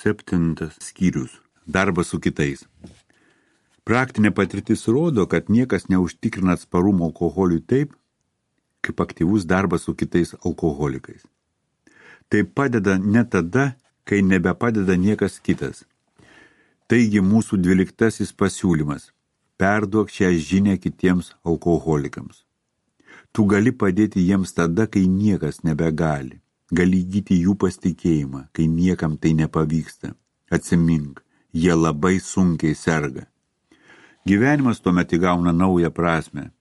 7 skyrius. Darbas su kitais. Praktinė patirtis rodo, kad niekas neužtikrina atsparumo alkoholiui taip, kaip aktyvus darbas su kitais alkoholikais. Tai padeda ne tada, kai nebepadeda niekas kitas. Taigi mūsų 12 pasiūlymas. Perduok šią žinią kitiems alkoholikams. Tu gali padėti jiems tada, kai niekas nebegali. Gali įgyti jų pasitikėjimą, kai niekam tai nepavyksta. Atsimink, jie labai sunkiai serga. Gyvenimas tuomet įgauna naują prasmę.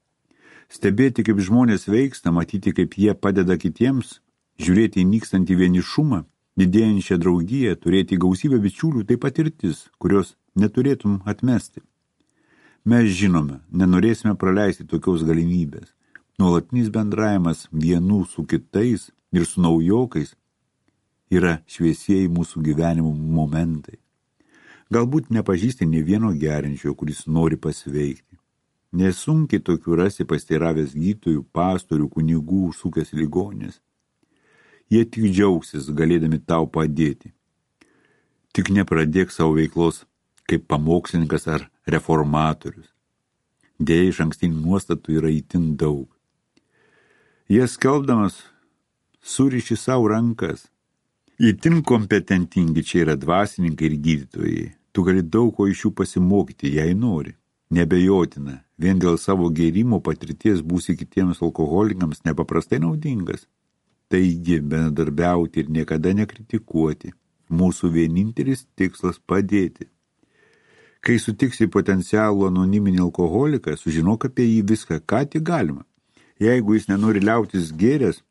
Stebėti, kaip žmonės veiksta, matyti, kaip jie padeda kitiems, žiūrėti į nykstantį vienišumą, didėjančią draugiją, turėti gausybę bičiulių, tai patirtis, kurios neturėtum atmesti. Mes žinome, nenorėsime praleisti tokios galimybės. Nuolatinis bendravimas vienų su kitais ir su naujokais yra šviesieji mūsų gyvenimo momentai. Galbūt nepažįsti nė vieno gerinčio, kuris nori pasveikti. Nesunkiai tokių rasi pasteiravęs gydytojų, pastorių, kunigų, sukęs ligonės. Jie tik džiaugsis, galėdami tau padėti. Tik nepradėk savo veiklos kaip pamokslininkas ar reformatorius. Deja, išankstinių nuostatų yra itin daug. Jie skelbdamas suriši savo rankas. Itin kompetentingi čia yra dvasininkai ir gydytojai. Tu gali daug ko iš jų pasimokyti, jei nori. Nebejotina, vien dėl savo gėrimo patirties būsi kitiems alkoholikams nepaprastai naudingas. Taigi, bendradarbiauti ir niekada nekritikuoti. Mūsų vienintelis tikslas padėti. Kai sutiksi potencialų anoniminį alkoholiką, sužinok apie jį viską, ką tik galima. Jeigu jis nenori liautis gėręs,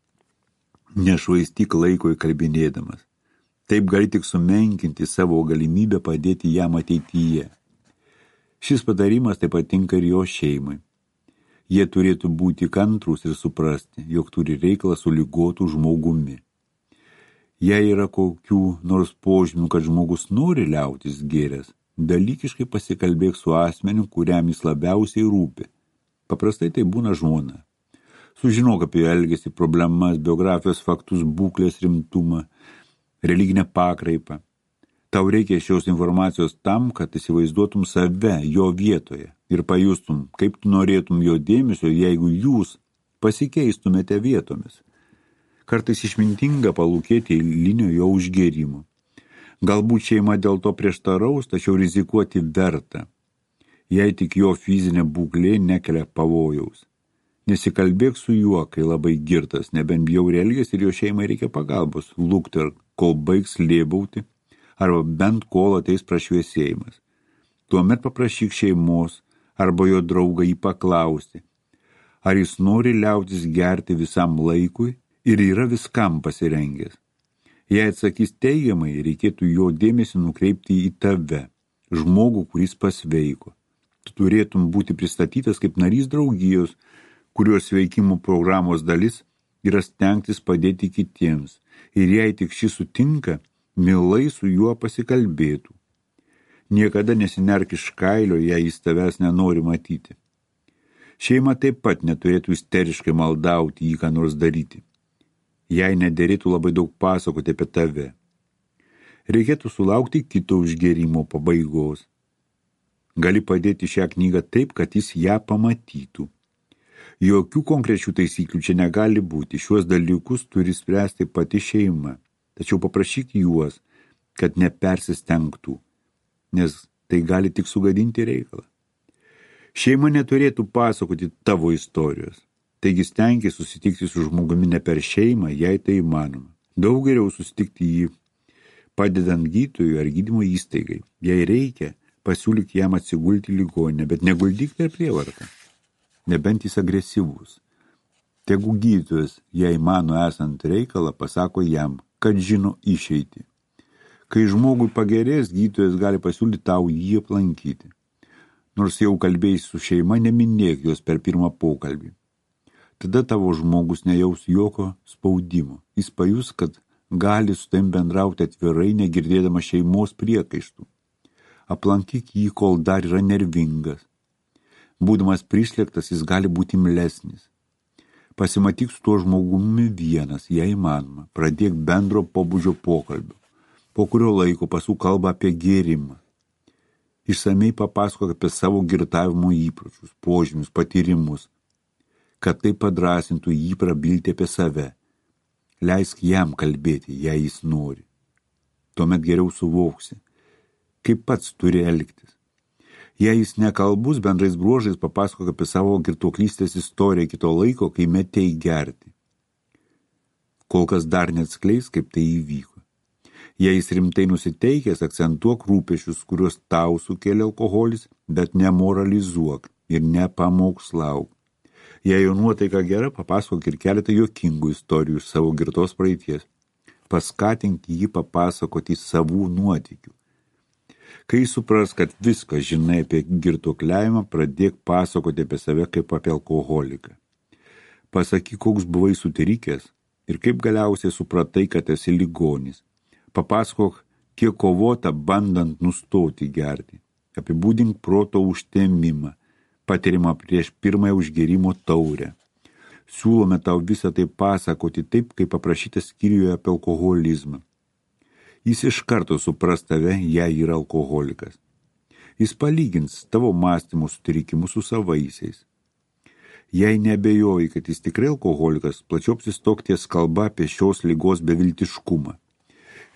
nešvaistyk laiko įkalbinėdamas. Taip gali tik sumenkinti savo galimybę padėti jam ateityje. Šis patarimas taip patinka ir jo šeimai. Jie turėtų būti kantrūs ir suprasti, jog turi reikalą su ligotu žmogumi. Jei yra kokių nors požymių, kad žmogus nori liautis gėręs, dalykiškai pasikalbėk su asmeniu, kuriam jis labiausiai rūpi. Paprastai tai būna žmona. Sužinok apie elgesį, problemas, biografijos faktus, būklės rimtumą, religinę pakraipą. Tau reikia šios informacijos tam, kad įsivaizduotum save jo vietoje ir pajustum, kaip tu norėtum jo dėmesio, jeigu jūs pasikeistumėte vietomis. Kartais išmintinga palūkėti eilinio jo užgėrimo. Galbūt šeima dėl to prieštaraus, tačiau rizikuoti verta, jei tik jo fizinė būklė nekelia pavojaus. Nesikalbėk su juo, kai labai girtas, nebent bjauriai elgiasi ir jo šeimai reikia pagalbos, lukter, kol baigs lėbauti, arba bent kol ateis prašviesėjimas. Tuomet paprašyk šeimos arba jo draugą jį paklausti, ar jis nori liautis gerti visam laikui ir yra viskam pasirengęs. Jei atsakys teigiamai, reikėtų jo dėmesį nukreipti į tave, žmogų, kuris pasveiko. Tu turėtum būti pristatytas kaip narys draugijos, kurios veikimo programos dalis yra stengtis padėti kitiems, ir jei tik šis sutinka, mielai su juo pasikalbėtų. Niekada nesinerk iš kailio, jei jis tavęs nenori matyti. Šeima taip pat neturėtų isteriškai maldauti jį ką nors daryti. Jei nederėtų labai daug pasakoti apie tave. Reikėtų sulaukti kito užgėrimo pabaigos. Gali padėti šią knygą taip, kad jis ją pamatytų. Jokių konkrečių taisyklių čia negali būti. Šiuos dalykus turi spręsti pati šeima. Tačiau paprašyk juos, kad nepersistengtų, nes tai gali tik sugadinti reikalą. Šeima neturėtų pasakoti tavo istorijos. Taigi stengiai susitikti su žmogumi ne per šeimą, jei tai įmanoma. Daug geriau susitikti jį padedant gydytojui ar gydymo įstaigai. Jei reikia, pasiūlyk jam atsigulti į ligoninę, bet neguldyk per prievartą. Nebent jis agresyvus. Tegu gydytojas, jei mano esant reikalą, pasako jam, kad žino išeitį. Kai žmogui pagerės, gydytojas gali pasiūlyti tau jį aplankyti. Nors jau kalbėjai su šeima, neminėk jos per pirmą pokalbį. Tada tavo žmogus nejaus jokio spaudimo. Jis pajus, kad gali su taim bendrauti atvirai, negirdėdama šeimos priekaištų. Aplankyk jį, kol dar yra nervingas. Būdamas prislėgtas, jis gali būti imlesnis. Pasimatyk su tuo žmogumi vienas, jei įmanoma. Pradėk bendro pobūdžio pokalbio. Po kurio laiko pasuk kalba apie gėrimą. Išsamei papasakok apie savo girtavimo įpročius, požymius, patyrimus, kad tai padrasintų jį prabilti apie save. Leisk jam kalbėti, jei jis nori. Tuomet geriau suvoksi, kaip pats turi elgtis. Jei jis nekalbus, bendrais bruožais papasakok apie savo girtuoklystės istoriją kito laiko, kai metei gerti. Kol kas dar neatskleis, kaip tai įvyko. Jei jis rimtai nusiteikęs, akcentuok rūpešius, kuriuos tau sukėlė alkoholis, bet nemoralizuok ir nepamokslauk. Jei jo nuotaika gera, papasakok ir keletą juokingų istorijų iš savo girtos praeities. Paskatink jį papasakoti savų nuotykių. Kai supras, kad viską žinai apie girtuokliavimą, pradėk pasakoti apie save kaip apie alkoholiką. Pasakyk, koks buvai sutrikęs ir kaip galiausiai supratai, kad esi ligonis. Papasakok, kiek kovota bandant nustoti gerti. Apibūdink proto užtemimą, patirimą prieš pirmąją užgėrimo taurę. Siūlome tau visą tai pasakoti taip, kaip paprašyta skyriuje apie alkoholizmą. Jis iš karto supras tave, jei yra alkoholikas. Jis palygins tavo mąstymo sutrikimus su savaisiais. Jei neabejoji, kad jis tikrai alkoholikas, plačiau apsistok ties kalba apie šios ligos beviltiškumą.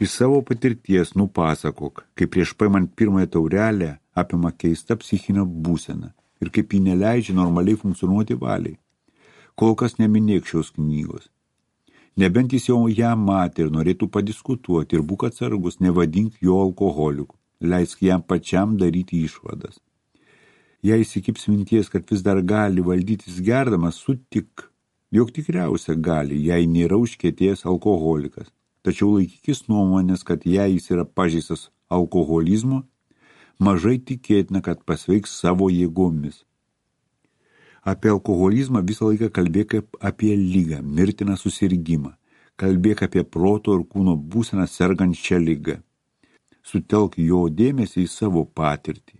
Iš savo patirties nupasakok, kaip prieš paimant pirmąją taurelę apima keista psichinė būsena ir kaip jį neleidžia normaliai funkcionuoti valiai. Kol kas neminėk šios knygos. Nebent jis jau ją matė ir norėtų padiskutuoti ir būk atsargus, nevadink jo alkoholiku, leisk jam pačiam daryti išvadas. Jei įsikips minties, kad vis dar gali valdytis gerdamas, sutik, jog tikriausia gali, jei nėra užkietėjęs alkoholikas. Tačiau laikykis nuomonės, kad jei jis yra pažeistas alkoholizmo, mažai tikėtina, kad pasveiks savo jėgomis. Apie alkoholizmą visą laiką kalbėk kaip apie ligą, mirtiną susirgimą. Kalbėk apie proto ir kūno būseną sergant šią ligą. Sutelk jo dėmesį į savo patirtį.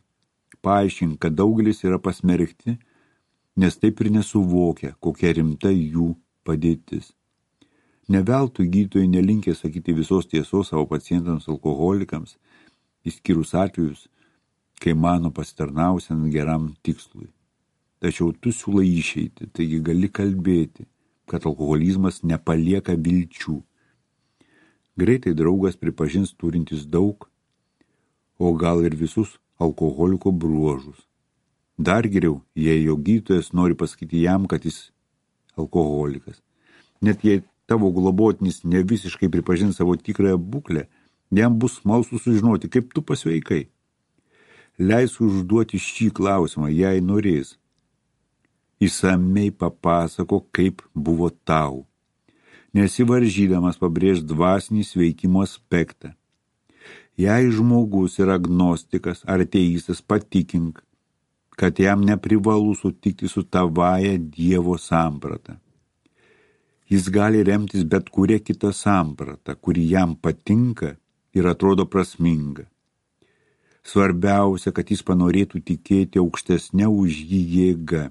Paaiškink, kad daugelis yra pasmerkti, nes taip ir nesuvokia, kokia rimta jų padėtis. Neveltui gydytojai nelinkė sakyti visos tiesos savo pacientams alkoholikams, išskyrus atvejus, kai mano pasitarnausiant geram tikslui. Tačiau tu siūlai išeiti, taigi gali kalbėti, kad alkoholizmas nepalieka vilčių. Greitai draugas pripažins turintis daug, o gal ir visus alkoholiko bruožus. Dar geriau, jei jo gydytojas nori pasakyti jam, kad jis alkoholikas. Net jei tavo globotinis ne visiškai pripažins savo tikrąją būklę, jam bus smalsu sužinoti, kaip tu pasveikai. Leisk užduoti šį klausimą, jei norės. Išsamei papasako, kaip buvo tau. Nesivaržydamas pabrėž dvasinį sveikimo aspektą. Jei žmogus yra agnostikas ar ateistas, patikink, kad jam neprivalu sutikti su tavąja Dievo samprata. Jis gali remtis bet kuria kita samprata, kuri jam patinka ir atrodo prasminga. Svarbiausia, kad jis panorėtų tikėti aukštesnę už jį jėgą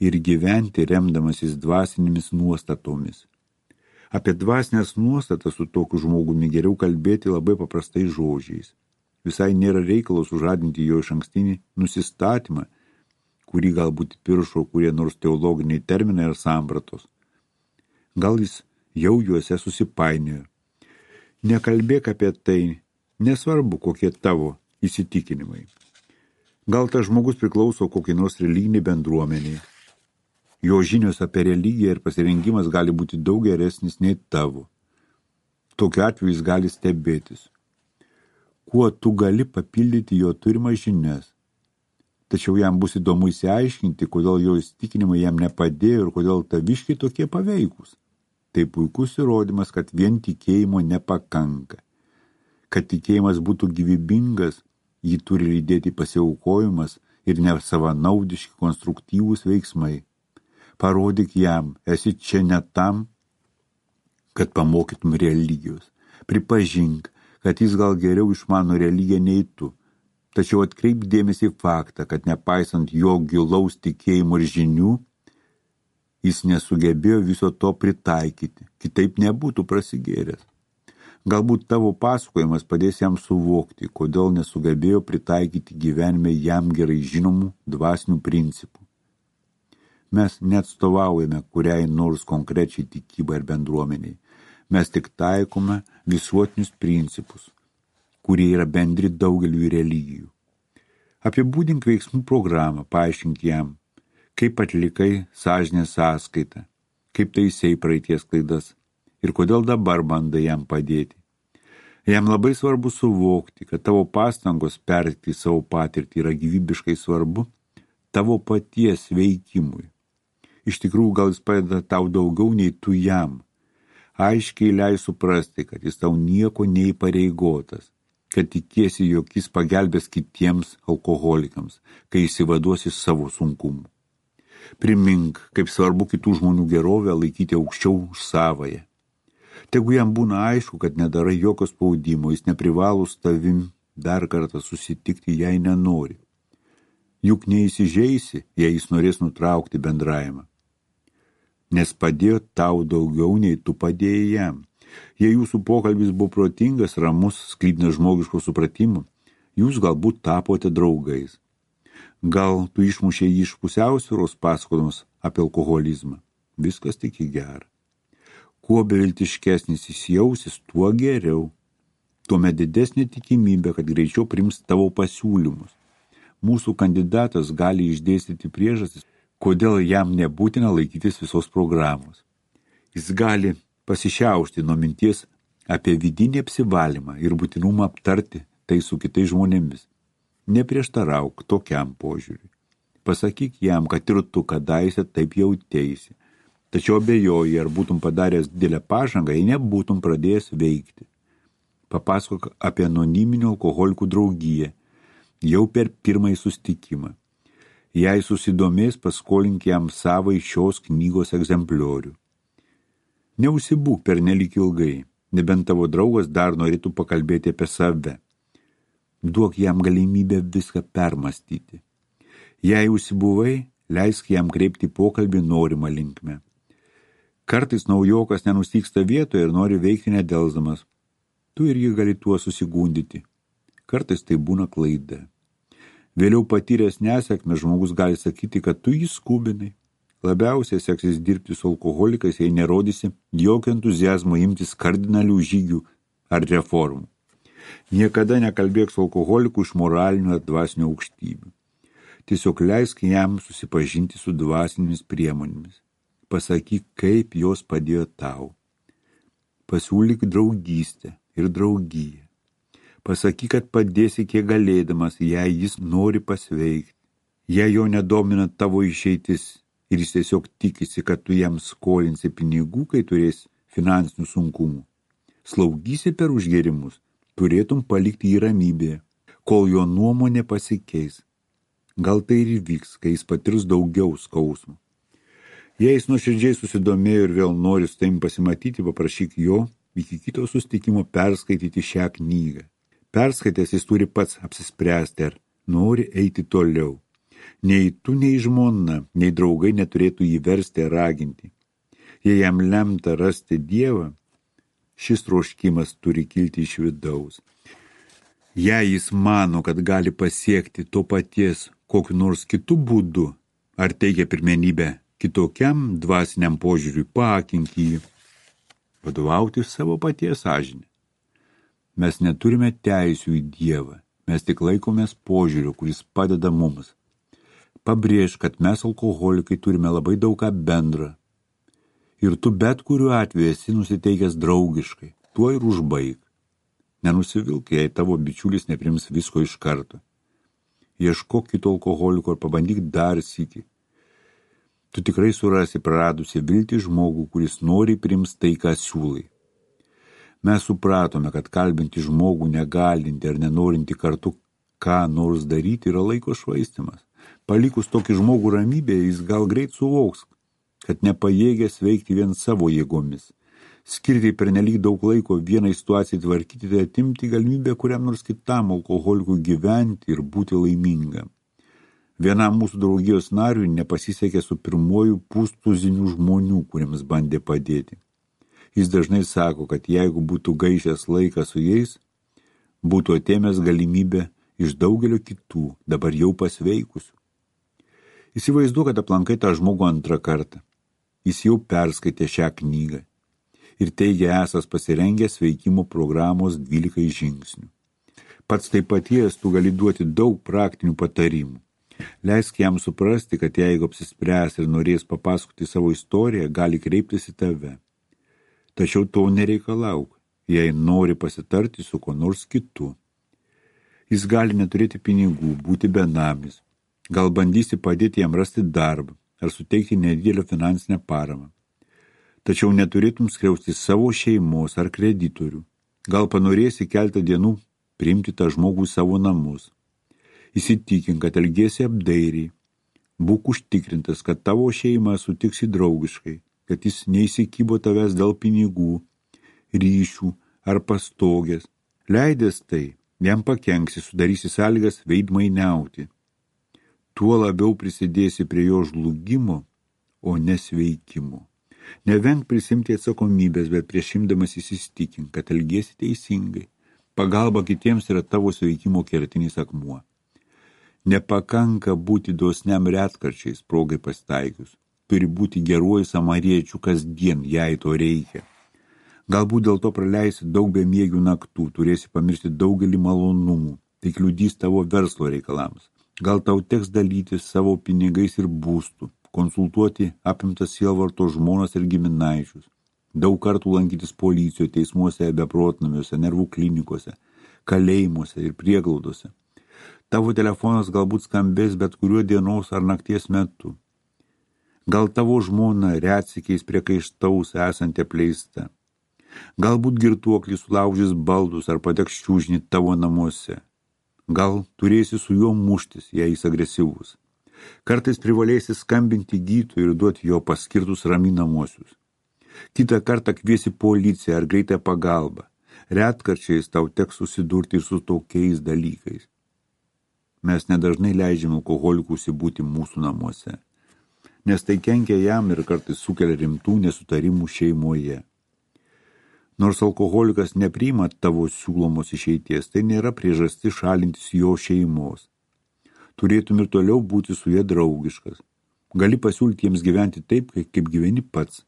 ir gyventi remdamasis dvasinėmis nuostatomis. Apie dvasinės nuostatas su tokiu žmogumi geriau kalbėti labai paprastai žodžiais. Visai nėra reikalo sužadinti jo išankstinį nusistatymą, kurį galbūt piršo kurie nors teologiniai terminai ar sampratos. Gal jis jau juose susipainiojo. Nekalbėk apie tai, nesvarbu kokie tavo įsitikinimai. Gal tas žmogus priklauso kokiai nors religiniai bendruomeniai. Jo žinios apie religiją ir pasirengimas gali būti daug geresnis nei tavo. Tokiu atveju jis gali stebėtis. Kuo tu gali papildyti jo turimas žinias. Tačiau jam bus įdomu įsiaiškinti, kodėl jo įsitikinimai jam nepadėjo ir kodėl taviškiai tokie paveikus. Tai puikus įrodymas, kad vien tikėjimo nepakanka. Kad tikėjimas būtų gyvybingas, jį turi lydėti pasiaukojimas ir nesavanaudiški konstruktyvūs veiksmai. Parodyk jam, esi čia ne tam, kad pamokytum religijos. Pripažink, kad jis gal geriau išmano religiją nei tu. Tačiau atkreip dėmesį į faktą, kad nepaisant jo gilaus tikėjimo ir žinių, jis nesugebėjo viso to pritaikyti, kitaip nebūtų prasigėręs. Galbūt tavo pasakojimas padės jam suvokti, kodėl nesugebėjo pritaikyti gyvenime jam gerai žinomų dvasinių principų. Mes neatstovaujame kuriai nors konkrečiai tikybai ar bendruomeniai. Mes tik taikome visuotinius principus, kurie yra bendri daugeliui religijų. Apibūdink veiksmų programą, paaiškink jam, kaip atlikai sąžinės sąskaitą, kaip taisei praeities klaidas ir kodėl dabar bandai jam padėti. Jam labai svarbu suvokti, kad tavo pastangos perteikti savo patirtį yra gyvybiškai svarbu tavo paties veikimui. Iš tikrųjų, gal jis padeda tau daugiau nei tu jam. Aiškiai leis suprasti, kad jis tau nieko neįpareigotas, kad tikiesi, jog jis pagelbės kitiems alkoholikams, kai įsivaduos iš savo sunkumų. Primink, kaip svarbu kitų žmonių gerovę laikyti aukščiau už savąją. Tegu jam būna aišku, kad nedarai jokio spaudimo, jis neprivalo su tavim dar kartą susitikti, jei nenori. Juk neįsižeisi, jei jis norės nutraukti bendravimą. Nes padėjo tau daugiau, nei tu padėjai jam. Jei jūsų pokalbis buvo protingas, ramus, sklidinas žmogiško supratimo, jūs galbūt tapote draugais. Gal tu išmušė jį iš pusiausvyros pasakodamas apie alkoholizmą. Viskas tik į gerą. Kuo beviltiškesnis jis jausis, tuo geriau. Tuomet didesnė tikimybė, kad greičiau priims tavo pasiūlymus. Mūsų kandidatas gali išdėstyti priežastis, kodėl jam nebūtina laikytis visos programos. Jis gali pasišiaušti nuo minties apie vidinį apsivalymą ir būtinumą aptarti tai su kitais žmonėmis. Neprieštarauk tokiam požiūriui. Pasakyk jam, kad ir tu kadaise taip jauteisi, tačiau abejoji, ar būtum padaręs didelę pažangą, jei nebūtum pradėjęs veikti. Papasakok apie anoniminių alkoholikų draugiją jau per pirmąjį susitikimą. Jei susidomės, paskolink jam savai šios knygos egzempliorių. Neužsibūk pernelyg ilgai, nebent tavo draugas dar norėtų pakalbėti apie save. Duok jam galimybę viską permastyti. Jei užsibuvai, leisk jam kreipti pokalbį norimą linkme. Kartais naujokas nenustyksta vietoje ir nori veikti nedelsdamas. Tu irgi gali tuo susigundyti. Kartais tai būna klaida. Vėliau patyręs nesėkmę žmogus gali sakyti, kad tu jį skubinai. Labiausiai seksis dirbti su alkoholikais, jei nerodysi jokio entuziazmo imtis kardinalių žygių ar reformų. Niekada nekalbėk su alkoholiku iš moralinių ar dvasinių aukštybių. Tiesiog leisk jam susipažinti su dvasinėmis priemonėmis. Pasakyk, kaip jos padėjo tau. Pasiūlyk draugystę ir draugiją. Pasakyk, kad padėsi kiek galėdamas, jei jis nori pasveikti. Jei jo nedomina tavo išeitis ir jis tiesiog tikisi, kad tu jam skolinsi pinigų, kai turės finansinių sunkumų. Slaugysi per užgėrimus, turėtum palikti jį ramybėje, kol jo nuomonė pasikeis. Gal tai ir vyks, kai jis patirs daugiau skausmų. Jei jis nuoširdžiai susidomėjo ir vėl nori su tavim pasimatyti, paprašyk jo iki kito susitikimo perskaityti šią knygą. Perskaitęs jis turi pats apsispręsti, ar nori eiti toliau. Nei tu, nei žmona, nei draugai neturėtų jį versti ar raginti. Jei jam lemta rasti Dievą, šis troškimas turi kilti iš vidaus. Jei jis mano, kad gali pasiekti to paties kokiu nors kitu būdu, ar teikia pirmenybę kitokiam dvasiniam požiūriui, paakink jį. Vadovauti savo paties sąžinę. Mes neturime teisių į Dievą, mes tik laikomės požiūrio, kuris padeda mums. Pabrėž, kad mes alkoholikai turime labai daug ką bendrą. Ir tu bet kuriuo atveju esi nusiteikęs draugiškai, tuo ir užbaig. Nenusivilk, jei tavo bičiulis neprims visko iš karto. Ieškok kito alkoholiko ir pabandyk dar sykį. Tu tikrai surasi praradusi viltį žmogų, kuris nori priims tai, ką siūlai. Mes supratome, kad kalbinti žmogų negalinti ar nenorinti kartu ką nors daryti yra laiko švaistymas. Palikus tokį žmogų ramybėje, jis gal greit suvoks, kad nepajėgęs veikti vien savo jėgomis. Skirti pernelyg daug laiko vienai situacijai tvarkyti, tai atimti galimybę kuriam nors kitam alkoholikui gyventi ir būti laimingam. Vienam mūsų draugijos nariui nepasisekė su pirmuoju pustuziniu žmonių, kuriems bandė padėti. Jis dažnai sako, kad jeigu būtų gaišęs laiką su jais, būtų atėmęs galimybę iš daugelio kitų, dabar jau pasveikusių. Įsivaizduok, kad aplankai tą žmogų antrą kartą. Jis jau perskaitė šią knygą ir teigia esas pasirengęs veikimo programos 12 žingsnių. Pats tai paties tu gali duoti daug praktinių patarimų. Leisk jam suprasti, kad jeigu apsispręs ir norės papasakoti savo istoriją, gali kreiptis į tave. Tačiau to nereikalauk, jei nori pasitarti su kuo nors kitu. Jis gali neturėti pinigų, būti benamis. Gal bandysi padėti jam rasti darbą ar suteikti nedidelę finansinę paramą. Tačiau neturėtum skriausti savo šeimos ar kreditorių. Gal panorėsi keletą dienų priimti tą žmogų į savo namus. Įsitikink, kad elgiesi apdairiai. Būk užtikrintas, kad tavo šeima sutiksi draugiškai, kad jis neįsikybo tavęs dėl pinigų, ryšių ar pastogės. Leidęs tai, jam pakenksi, sudarysi sąlygas veidmainiauti. Tuo labiau prisidėsi prie jo žlugimo, o nesveikimo. Nevenk prisimti atsakomybės, bet prieš imdamas įsitikink, kad elgiesi teisingai. Pagalba kitiems yra tavo sveikimo kertinis akmuo. Nepakanka būti dosniam retkarčiais, progai pasitaikius. Turi būti geruoju samariečiu kasdien, jei to reikia. Galbūt dėl to praleisi daug bemiegių naktų, turėsi pamiršti daugelį malonumų, tai kliudys tavo verslo reikalams. Gal tau teks dalytis savo pinigais ir būstų, konsultuoti apimtas sielvarto žmonas ir giminaičius, daug kartų lankytis policijoje, teismuose, beprotnamiuose, nervų klinikose, kalėjimuose ir prieglaudose. Tavo telefonas galbūt skambės bet kuriuo dienos ar nakties metu. Gal tavo žmona retsykiais priekaištaus esanti apleista. Galbūt girtuoklis sulaužys baldus ar pateks čiužnį tavo namuose. Gal turėsi su juo muštis, jei jis agresyvus. Kartais privalėsi skambinti gydytojui ir duoti jo paskirtus raminamuosius. Kitą kartą kviesi policiją ar greitą pagalbą. Retkarčiais tau teks susidurti ir su tokiais dalykais. Mes nedažnai leidžiame alkoholikui užsibūti mūsų namuose, nes tai kenkia jam ir kartais sukelia rimtų nesutarimų šeimoje. Nors alkoholikas nepriima tavo siūlomos išeities, tai nėra priežastis šalintis jo šeimos. Turėtum ir toliau būti su jie draugiškas. Gali pasiūlyti jiems gyventi taip, kaip gyveni pats.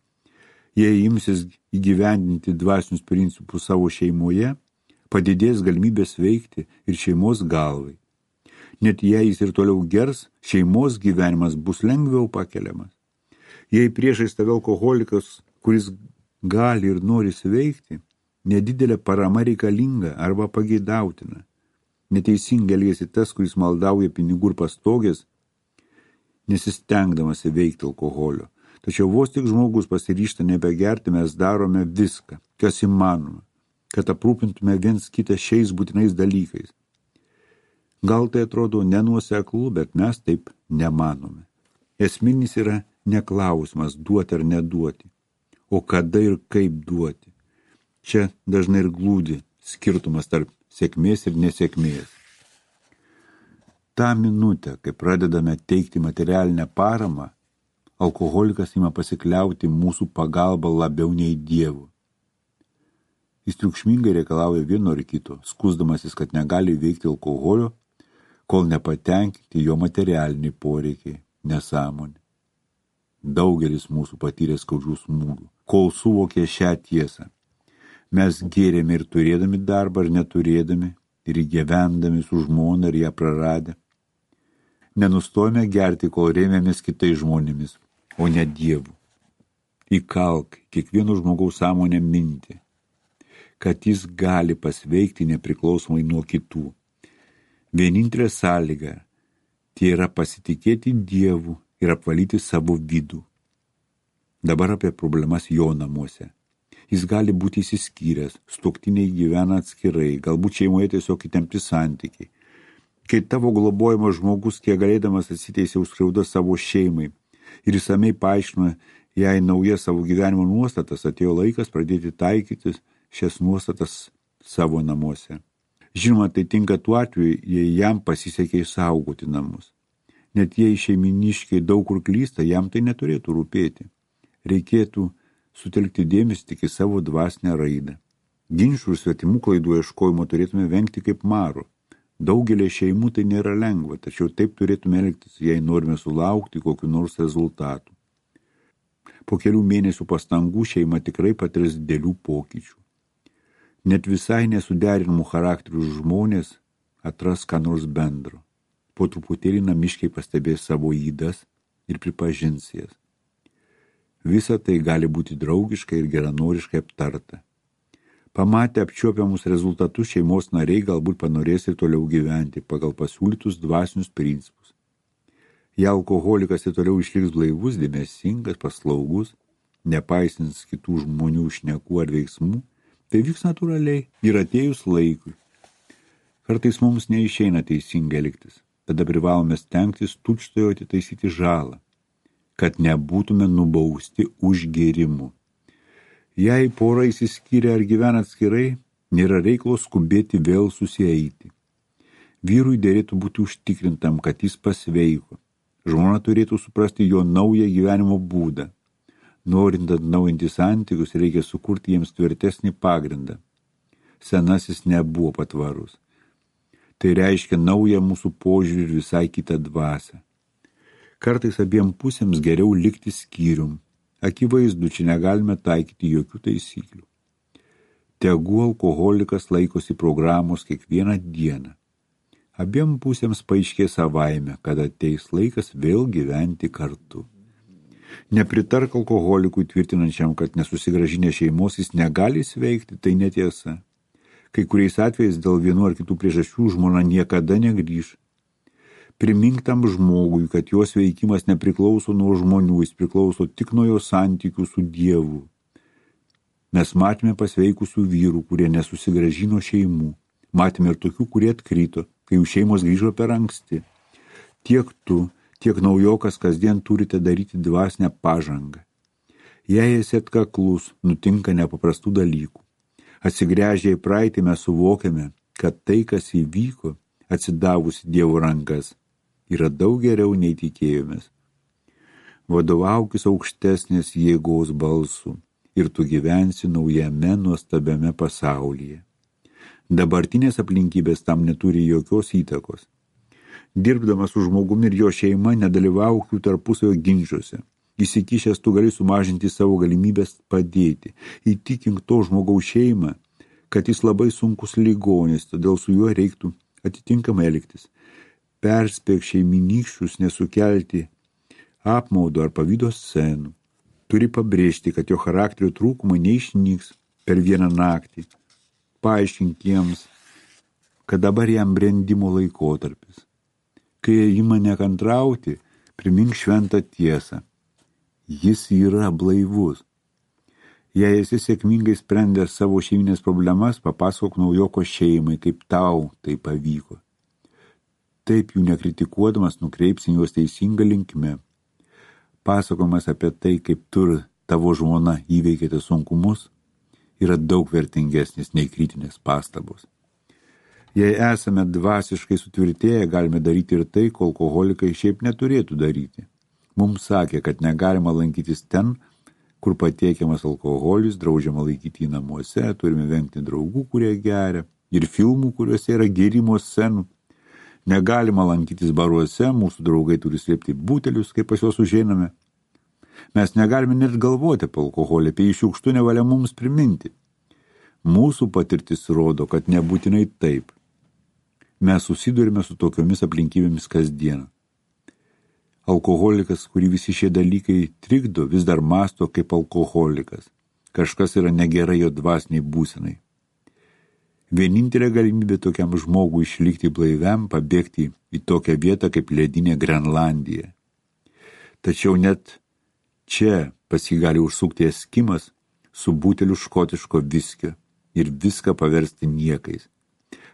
Jei imsis įgyvendinti dvasinius principus savo šeimoje, padidės galimybės veikti ir šeimos galvai. Net jei jis ir toliau gers, šeimos gyvenimas bus lengviau pakeliamas. Jei priešais tave alkoholikas, kuris gali ir nori sveikti, nedidelė parama reikalinga arba pageidautina. Neteisingai elgiasi tas, kuris maldauja pinigų ir pastogės, nesistengdamas įveikti alkoholio. Tačiau vos tik žmogus pasiryžta nebegerti, mes darome viską, kas įmanoma, kad aprūpintume viens kitą šiais būtinais dalykais. Gal tai atrodo nenuoseklu, bet mes taip nemanome. Esminis yra ne klausimas duoti ar neduoti, o kada ir kaip duoti. Čia dažnai ir glūdi skirtumas tarp sėkmės ir nesėkmės. Ta minutė, kai pradedame teikti materialinę paramą, alkoholikas ima pasikliauti mūsų pagalbą labiau nei Dievu. Jis triukšmingai reikalauja vieno ar kito, skųsdamasis, kad negali veikti alkoholio, kol nepatenkinti jo materialiniai poreikiai, nesąmonė. Daugelis mūsų patyrė skaudžių smūgių, kol suvokė šią tiesą. Mes gėrėme ir turėdami darbą, ir neturėdami, ir gyvendami su žmona, ir ją praradę. Nenustojame gerti, kol rėmėmės kitais žmonėmis, o ne Dievu. Įkalk kiekvieno žmogaus sąmonę mintį, kad jis gali pasveikti nepriklausomai nuo kitų. Vienintelė sąlyga tai yra pasitikėti Dievu ir apvalyti savo vidų. Dabar apie problemas jo namuose. Jis gali būti įsiskyręs, sutuoktiniai gyvena atskirai, galbūt šeimoje tiesiog įtempti santykiai. Kai tavo globojamas žmogus, kiek galėdamas atsiteisė užskriaudą savo šeimai ir išsamei paaiškino jai naujas savo gyvenimo nuostatas, atėjo laikas pradėti taikyti šias nuostatas savo namuose. Žinoma, tai tinka tuo atveju, jei jam pasisekė išsaugoti namus. Net jei šeiminiškiai daug kur klysta, jam tai neturėtų rūpėti. Reikėtų sutelkti dėmesį tik į savo dvasinę raidą. Ginčių ir svetimų klaidų ieškojimo turėtume vengti kaip maro. Daugelį šeimų tai nėra lengva, tačiau taip turėtume elgtis, jei norime sulaukti kokiu nors rezultatų. Po kelių mėnesių pastangų šeima tikrai patirs didelių pokyčių. Net visai nesuderinamų charakterių žmonės atras ką nors bendro. Po truputėlį namiškiai pastebės savo ydas ir pripažins jas. Visa tai gali būti draugiškai ir geranoriškai aptarta. Pamatę apčiuopiamus rezultatus, šeimos nariai galbūt panorės ir toliau gyventi pagal pasiūlytus dvasinius principus. Jei alkoholikas ir toliau išliks blaivus, dėmesingas, paslaugus, nepaisins kitų žmonių šnekų ar veiksmų, tai vyks natūraliai ir atėjus laikui. Kartais mums neišeina teisingai elgtis, tada privalome stengtis tučtuojau atitaisyti žalą, kad nebūtume nubausti už gėrimu. Jei pora išsiskyrė ar gyvena atskirai, nėra reikalo skubėti vėl susieiti. Vyrui dėrėtų būti užtikrintam, kad jis pasveiko. Žmona turėtų suprasti jo naują gyvenimo būdą. Norint atnaujinti santykius, reikia sukurti jiems tvirtesnį pagrindą. Senasis nebuvo patvarus. Tai reiškia naują mūsų požiūrį ir visai kitą dvasią. Kartais abiem pusėms geriau likti skyrium. Akivaizdu, čia negalime taikyti jokių taisyklių. Tegu alkoholikas laikosi programos kiekvieną dieną. Abiem pusėms paaiškės savaime, kad ateis laikas vėl gyventi kartu. Nepritark alkoholikui tvirtinančiam, kad nesusigrąžinę šeimos jis negali sveikti, tai netiesa. Kai kuriais atvejais dėl vienų ar kitų priežasčių žmona niekada negrįš. Primink tam žmogui, kad jos veikimas nepriklauso nuo žmonių, jis priklauso tik nuo jo santykių su Dievu. Mes matėme pasveikusių vyrų, kurie nesusigrąžino šeimų. Matėme ir tokių, kurie atkrito, kai jų šeimos grįžo per anksti. Tiek tu, tiek naujokas kasdien turite daryti dvasinę pažangą. Jei esi atkaklus, nutinka nepaprastų dalykų. Atsigręžę į praeitį mes suvokiame, kad tai, kas įvyko, atsidavusi Dievo rankas, yra daug geriau nei tikėjomės. Vadovaukis aukštesnės jėgos balsu ir tu gyvensi naujame nuostabiame pasaulyje. Dabartinės aplinkybės tam neturi jokios įtakos. Dirbdamas su žmogumi ir jo šeima nedalyvauk jų tarpusavio ginčiuose. Įsikišęs tu gali sumažinti savo galimybės padėti. Įtikink to žmogaus šeimą, kad jis labai sunkus ligonis, todėl su juo reiktų atitinkamai elgtis. Perspėk šeiminykščius nesukelti apmaudo ar pavydo scenų. Turi pabrėžti, kad jo charakterio trūkumai neišnyks per vieną naktį. Paaiškink jiems, kad dabar jam brendimo laikotarpis. Kai ima nekantrauti, primink šventą tiesą. Jis yra blaivus. Jei esi sėkmingai sprendęs savo šeiminės problemas, papasakok naujoko šeimai, kaip tau tai pavyko. Taip jų nekritikuodamas nukreipsi juos teisinga linkme. Pasakojimas apie tai, kaip tu ir tavo žmona įveikėte sunkumus, yra daug vertingesnis nei kritinės pastabos. Jei esame dvasiškai sutvirtėję, galime daryti ir tai, ko alkoholikai šiaip neturėtų daryti. Mums sakė, kad negalima lankytis ten, kur patiekiamas alkoholis, draudžiama laikyti į namuose, turime vengti draugų, kurie geria, ir filmų, kuriuose yra gėrimo scenų. Negalima lankytis baruose, mūsų draugai turi slėpti butelius, kai pas juos užeiname. Mes negalime net galvoti apie alkoholį, apie jį šiukštu nevalia mums priminti. Mūsų patirtis rodo, kad nebūtinai taip. Mes susidurime su tokiomis aplinkybėmis kasdien. Alkoholikas, kurį visi šie dalykai trikdo, vis dar mąsto kaip alkoholikas. Kažkas yra negerai jo dvasiniai būsenai. Vienintelė galimybė tokiam žmogui išlikti blaiviam, pabėgti į tokią vietą kaip ledinė Grenlandija. Tačiau net čia pas jį gali užsukti eskimas su buteliu škotiško viskio ir viską paversti niekais.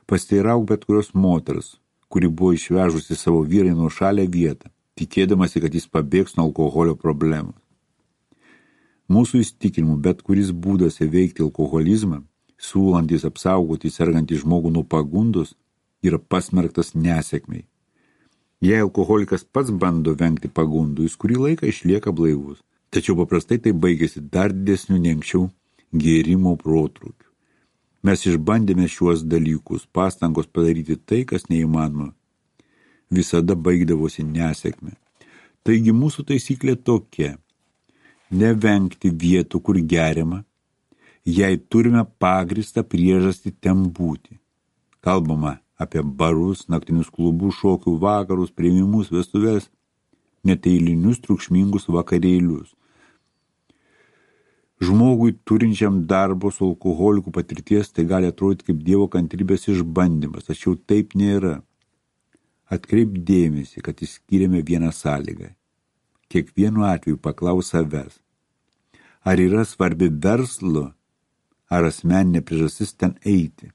Pasteirauk bet kurios moters, kuri buvo išvežusi savo vyrai nuo šalę vietą, tikėdamasi, kad jis pabėgs nuo alkoholio problemos. Mūsų įsitikinimu, bet kuris būdas įveikti alkoholizmą, siūlantis apsaugoti sergantį žmogų nuo pagundos, yra pasmerktas nesėkmei. Jei alkoholikas pats bando vengti pagundų, jis kurį laiką išlieka blaivus, Tačiau paprastai tai baigėsi dar didesniu nei anksčiau gėrimo protrūkiu. Mes išbandėme šiuos dalykus, pastangos padaryti tai, kas neįmanoma, visada baigdavosi nesėkme. Taigi mūsų taisyklė tokia: nevengti vietų, kur geriama, jei turime pagristą priežastį ten būti. Kalbama apie barus, naktinius klubus, šokių vakarus, priėmimus, vestuves, neteilinius triukšmingus vakarėlius. Žmogui turinčiam darbo su alkoholiku patirties tai gali atrodyti kaip Dievo kantrybės išbandymas, tačiau taip nėra. Atkreip dėmesį, kad išskyrėme vieną sąlygą. Kiekvienu atveju paklaus savęs, ar yra svarbi verslo ar asmeninė priežastis ten eiti,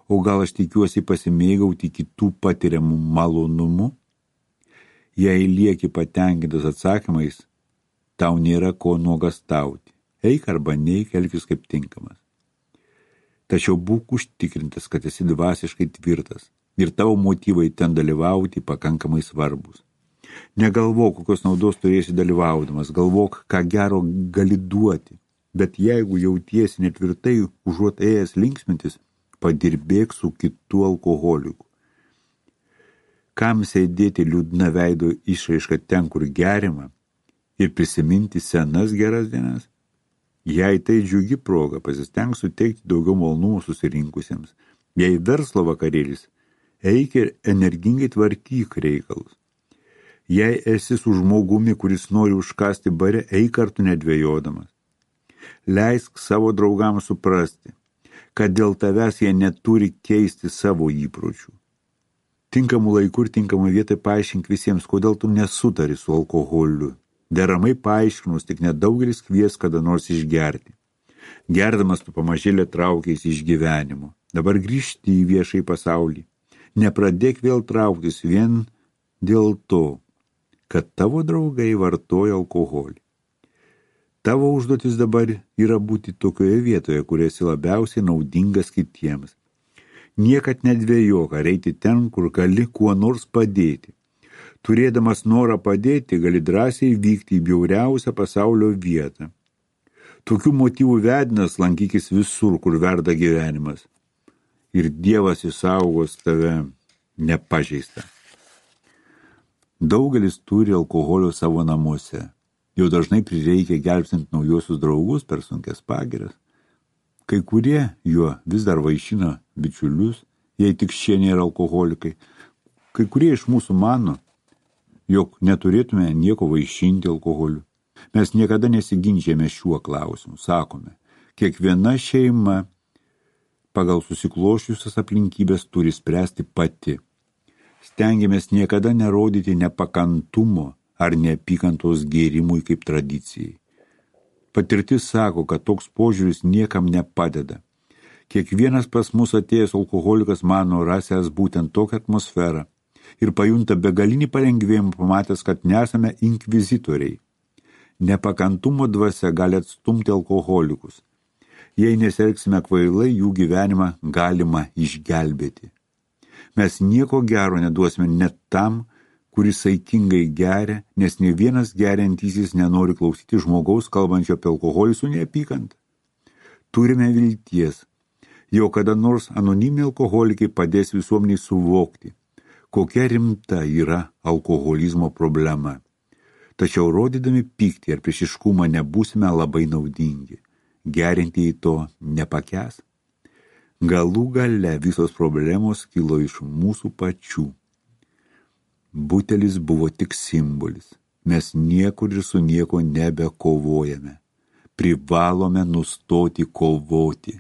o gal aš tikiuosi pasimėgauti kitų patiriamų malonumų. Jei lieki patenkintas atsakymais, tau nėra ko nuogastauti. Eik arba neik, elkis kaip tinkamas. Tačiau būk užtikrintas, kad esi dvasiškai tvirtas ir tavo motyvai ten dalyvauti pakankamai svarbus. Negalvok, kokios naudos turėsi dalyvaudamas, galvok, ką gero gali duoti. Bet jeigu jautiesi netvirtai, užuot ėjęs linksmintis, padirbėk su kitu alkoholiku. Kam sėdėti liūdna veido išraiška ten, kur gerima, ir prisiminti senas geras dienas? Jei tai džiugi proga, pasistenk suteikti daugiau malonumų susirinkusiems. Jei verslo vakarėlis, eik ir energingai tvarkyk reikalus. Jei esi su žmogumi, kuris nori užkasti bare, eik kartu nedvejodamas. Leisk savo draugams suprasti, kad dėl tavęs jie neturi keisti savo įpročių. Tinkamų laikų ir tinkamų vietai paaiškink visiems, kodėl tu nesutari su alkoholiu. Deramai paaiškinus, tik nedaugelis kvies kada nors išgerti. Gerdamas tu pamažėlė traukiais iš gyvenimo. Dabar grįžti į viešai pasaulį. Nepradėk vėl trauktis vien dėl to, kad tavo draugai vartoja alkoholį. Tavo užduotis dabar yra būti tokioje vietoje, kur esi labiausiai naudingas kitiems. Niekad nedvejok ar eiti ten, kur gali kuo nors padėti. Turėdamas norą padėti, gali drąsiai vykti į bjauriausią pasaulio vietą. Tokių motyvų vedinas lankykis visur, kur verda gyvenimas. Ir Dievas išsaugos tave nepažeistą. Daugelis turi alkoholio savo namuose. Jau dažnai prireikia gelbstint naujosius draugus per sunkias pagiras. Kai kurie juo vis dar vaišina bičiulius, jei tik šie nėra alkoholikai. Kai kurie iš mūsų mano, jog neturėtume nieko vaišinti alkoholiu. Mes niekada nesiginčijame šiuo klausimu. Sakome, kiekviena šeima pagal susiklošiusias aplinkybės turi spręsti pati. Stengiamės niekada nerodyti nepakantumo ar neapykantos gėrimui kaip tradicijai. Patirtis sako, kad toks požiūris niekam nepadeda. Kiekvienas pas mus atėjęs alkoholikas mano rasęs būtent tokią atmosferą ir pajunta begalinį palengvėjimą pamatęs, kad nesame inkvizitoriai. Nepakantumo dvasia gali atstumti alkoholikus. Jei nesielgsime kvailai, jų gyvenimą galima išgelbėti. Mes nieko gero neduosime net tam, kuris saikingai geria, nes ne vienas geriantysis nenori klausyti žmogaus kalbančio apie alkoholį su neapykanta. Turime vilties, jau kada nors anoniminiai alkoholikai padės visuomeniai suvokti, kokia rimta yra alkoholizmo problema. Tačiau rodydami pyktį ar priešiškumą nebūsime labai naudingi. Gerintieji to nepakęs. Galų gale visos problemos kilo iš mūsų pačių. Butelis buvo tik simbolis. Mes niekur ir su nieko nebekovojame. Privalome nustoti kovoti.